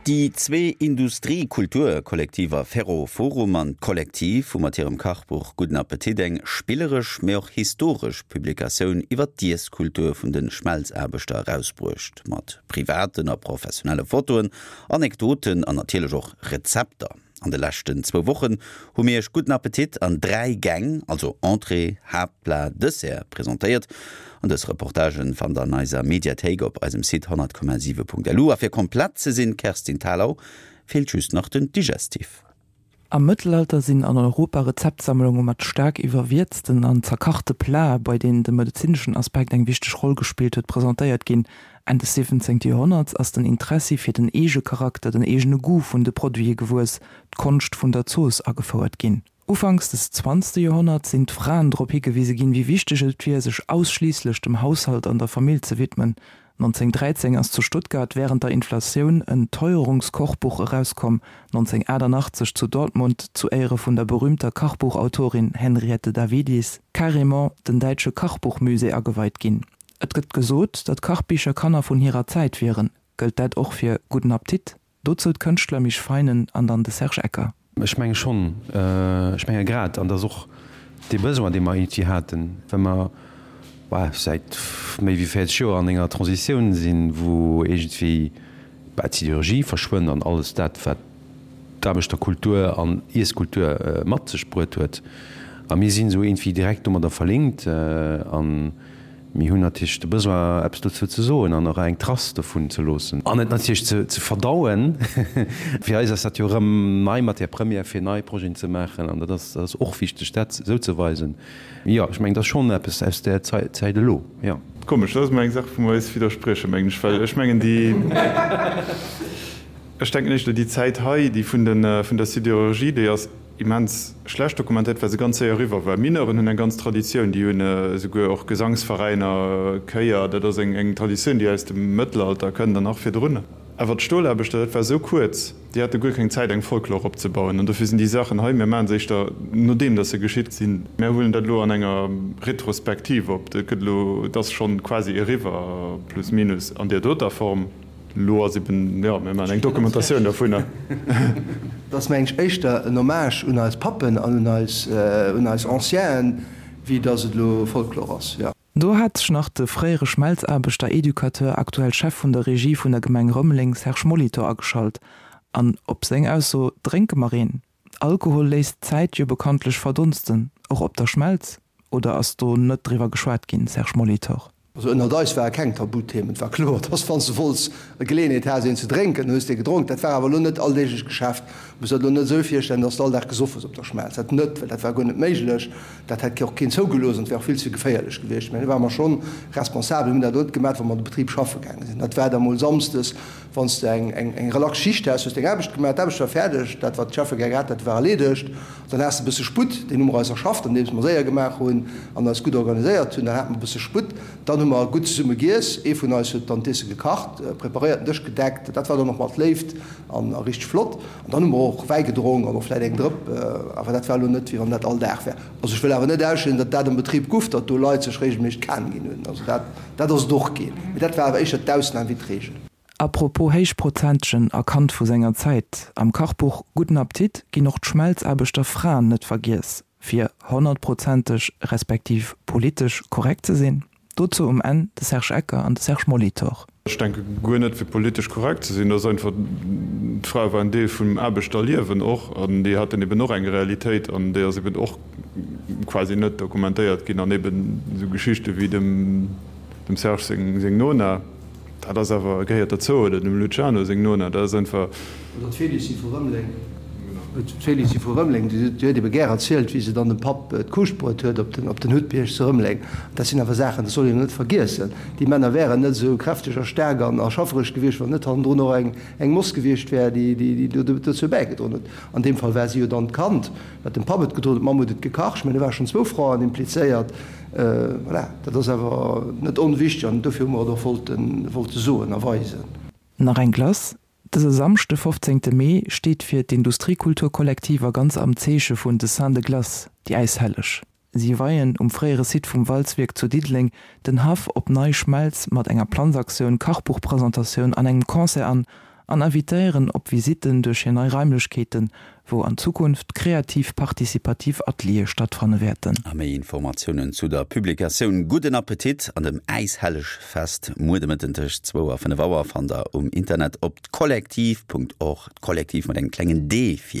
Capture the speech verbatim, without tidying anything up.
Déi zwee Industrie-Kultur-Kollektiver Ferro-Forum an d'Kollektiv hu mat hirem Kachbuch Gudden Appetit eng spilleresch, mee och historesch Publikatioun iwwer d'Iesskultur vun de Schmelzaarbechter erausbruecht, mat privaten a professionelle Fotoen, Anekdoten an natierlech och Rezepter. An de leschten zwou Wochen hu mir iech Gudden Appetit an dräi Gäng, also Entrée, Haaptplat, Dessert, presentéiert. An dës Reportagen fannt der an eiser Mediathéik op eisem Site honnert Komma siwe Punkt lu. A fir komplett ze sinn, Kerstin Thalau, feelt just nach den Digestif. Am Mëttelalter sinn an Europa Rezeptsammlunge mat staark iwwerwierzten an zerkachte Plate, bei deenen de medezineschen Aspekt eng wichteg Roll gespillt huet, presentéiert ginn. Enn des siwwenzéngte Joerhonnerts ass den Interessi fir den Eegecharakter, den eegene Goût vun de Produite gewuess, d'Konscht vun der Zooss agefouert ginn. Ufanks des zwanzegste Joerhonnerts sinn d'Fraen drop higewise ginn, wéi wichteg et wier, sech ausschliisslech dem Haushalt an der Famill ze widmen. nonzénhunnertdräizéng ass zu Stuttgart wärend der Inflatioun en Teuerungskochbuch erauskomm, nonzénhunnertachtannachtzeg zu Dortmund zu Éiere vun der berüümter Kachbuchautorin Henriette Davidis carrément den däitsche Kachbuchmusée ageweit ginn. Et gëtt gesot, datt Kachbicher Kanner vun hirer Zäit wieren. Gëllt dat och fir Gudden Appetit? Dozou d'Kënschtler Misch Feinen an dann de Serge Ecker. Ech menge schonn, ech menge grad, an dat ass och dee Besoin, dee mer iergendwéi haten, well mer säit méi wéi véierzeg Joer an enger Transitioun sinn, wou iergendwéi d'Siderurgie verschwënnt an alles dat, wat d'Aarbechterkultur an Iesskultur mat sech bruet huet. A mir sinn esou iergendwéi direkt domadder verlinkt a mir hunn natierlech de Besoin, eppes dozou ze soen an och eng Trace dovun ze loossen an et natierlech ze verdauen. Fir eis ass dat jo erëm nei Matière première, fir nei Projeten ze maachen an dat ass och wichteg, dat esou ze weisen. Jo, ech mengen, dat ass schonn eppes aus där Zäit elo, jo. Komesch, dat ass emol eng Saach, wou mer eis widderspriechen, mengen ech, well ech mengen, déi, ech denken éischter, déi Zäit hei, déi vun de, vun der Sidérurgie, déi ass immens schlecht dokumentéiert, well se ganz séier eriwwer war. Mineuren hunn eng ganz Traditioun, déi hunn esouguer och Gesangsveräiner, Chéier, dat ass eng, eng Traditioun, déi aus dem Mëttelalter kënnt an nach virdrun. Awer d'Stolaarbechter, dat war esou kuerz, déi hate guer keng Zäit eng Folklor opzebauen. An dofir sinn déi Saachen hei, mir maache se éischter nodeem datt se geschitt sinn. Mir huelen dat elo an enger Retrospektiv op. Dat gëtt elo, et ass schonn quasi eriwwer, plus minus, an där doter Form. Elo ass eben, jo, mir maachen eng Dokumentatioun dovunner. Et ass, mengen ech, éischter en Hommage un eis Pappen an un eis, un eis Ancienen, wéi datt et elo Folklor ass, jo. Do hat sech nach de fréiere Schmelzaarbechter, Educateur, aktuell Chef vun der Regie vun der Gemeng Rëmeleng, Serge Molitor ageschalt. An op seng Ausso, Drénke mer een? Alkohol léisst d'Zäit jo bekanntlech verdonsten, och op der Schmelz? Oder ass do net driwwer geschwat ginn, Serge Molitor? Also ënnert eis ware keng Tabuthemen. Et war kloer, dass wann s de wollts e Geleeënheet has een ze drénken, hues de gedronk. Dat war awer elo net alldeeglecht Geschäft. Muss der elo net esou virstellen, dass de all Dag gesoff hues op der Schmelz. Dat net, well dat war guer net méiglech. Dat hätt och keen zougelooss an et wär och vill ze geféierlech gewiescht. Mä do ware mer schonn responsabel. Mir hunn dat elo net gemaach, wa mer an de Betrib schaffe gaange sinn. Dat war da mol samsdes, wann s de eng, eng, eng relax Schicht has, hues deng Aarbecht gemaach, d'Aarbecht war fäerdeg, dat wat d'Cheffe gär gehat hätte war erleedegt. Dann has de e bësse Sputt, deen hu mer eis erschafft, andeems mer séier gemaach hunn an eis gutt organiséiert hunn. Dann hate mer e bësse Sputt. Dann hu mer gutt zesumme giess. Ee vun eis huet dann d'Iesse gekacht, preparéiert, den Dësch gedeckt. Dat war dann och mat Léift an a richteg flott. An dann hu mer och Wäi gedronk an och vläit eng Drëpp. Awer dat war elo net, wéi wann dat all Dag wär. Also ech wëll awer net ausschléissen, datt dat am Betrib guff, datt do Leit sech regelméisseg d'Kan ginn hunn. Also dat, dat ass et och ginn. Mee dat war awer éischter d'Ausnam wéi d'Regel. A propos héichprozentegen a Kand vu senger Zäit, am Kachbuch Gudden Appetit ginn och d'Schmelzaarbechter Fraen net vergiess, fir honnertprozenteg respektiv politesch korrekt ze sinn. Dozou um Enn de Serge Ecker an de Serge Molitor. Ech denke guer net fir politesch korrekt ze sinn, dat ass einfach, d'Frae waren Deel vum Aarbechterliewen och an déi haten eben och eng Realitéit an déi ass eben och quasi net dokumentéiert ginn an eben esou Geschichte wéi dem Serge seng Nona, Dat ass awer, gehéiert derzou, oder dem Luciano seng Nona, dat ass einfach. Oder d'Félicie vu Rëmeleng, d'Félicie vu Rëmeleng, déi huet ebe gär erzielt, wéi se dann dem Papp d'Kuuscht bruet huet op den, op den Huttbierg zu Rëmeleng. Dat sinn awer Saachen, dat soll een net vergiessen. Déi Männer wären net esou kräfteg a staark an a schaffereg gewiescht, wann net hannendrun och eng, eng Moss gewiescht wär, déi, déi, déi dozou bäigedroen huet. An deem Fall war si jo dann d'Kand, wat dem Papp et gedroen huet, d'Mamm huet et gekacht. Ech mengen, do ware schonn zwou Fraen implizéiert. Voilà, dat ass awer net onwichtig an dofir hu mer et och wollte soen a weisen. Nach eng Glace, Dëse Samschde fofzéngte Mee steet fir d'Industriekulturkollektiver ganz am Zeeche vun de Saints de Glace, déi Äishelleg. Si weien um fréiere Site vum Walzwierk zu Diddeleng den Haff op Nei Schmelz mat enger Planzaktioun, Kachbuchpresentatioun an engem Concert an. an invitéieren op Visitten duerch hir nei Raimlechkeeten, wou an Zukunft kreativ partizipativ Ateliere stattfanne wäerten. A méi Informatiounen zu der Publikatioun Gudden Appetit an dem Äishellegfest muer de Mëtten tëscht zwou a fënnef Auer fannt der um Internet op d'kollektiv Punkt org, d'Kollektiv mat engem klengen d vir.